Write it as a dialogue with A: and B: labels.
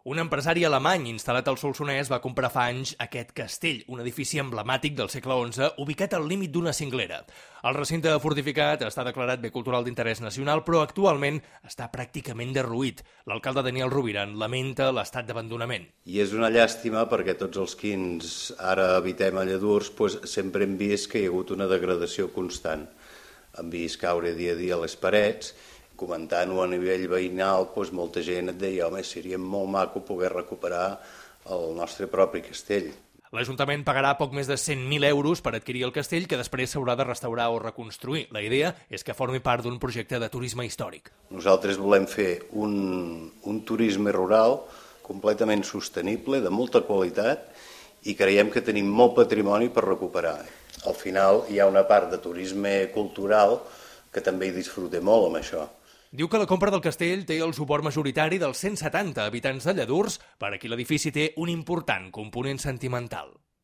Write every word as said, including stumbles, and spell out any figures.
A: Un empresari alemany instal·lat al Solsonès va comprar fa anys aquest castell, un edifici emblemàtic del segle onze, ubicat al límit d'una cinglera. El recinte fortificat està declarat bé cultural d'interès nacional, però actualment està pràcticament derruït. L'alcalde Daniel Rovira en lamenta l'estat d'abandonament.
B: I és una llàstima perquè tots els qui ens ara habitem a Lladurs doncs, sempre hem vist que hi ha hagut una degradació constant. Hem vist caure dia a dia les parets. Comentant-ho a nivell veïnal, doncs molta gent et deia home, seria molt maco poder recuperar el nostre propi castell.
A: L'Ajuntament pagarà poc més de cent mil euros per adquirir el castell, que després s'haurà de restaurar o reconstruir. La idea és que formi part d'un projecte de turisme històric.
B: Nosaltres volem fer un, un turisme rural completament sostenible, de molta qualitat, i creiem que tenim molt patrimoni per recuperar. Al final hi ha una part de turisme cultural que també hi disfruta molt amb això.
A: Diu que la compra del castell té el suport majoritari dels cent setanta habitants de Lladurs, per a qui l'edifici té un important component sentimental.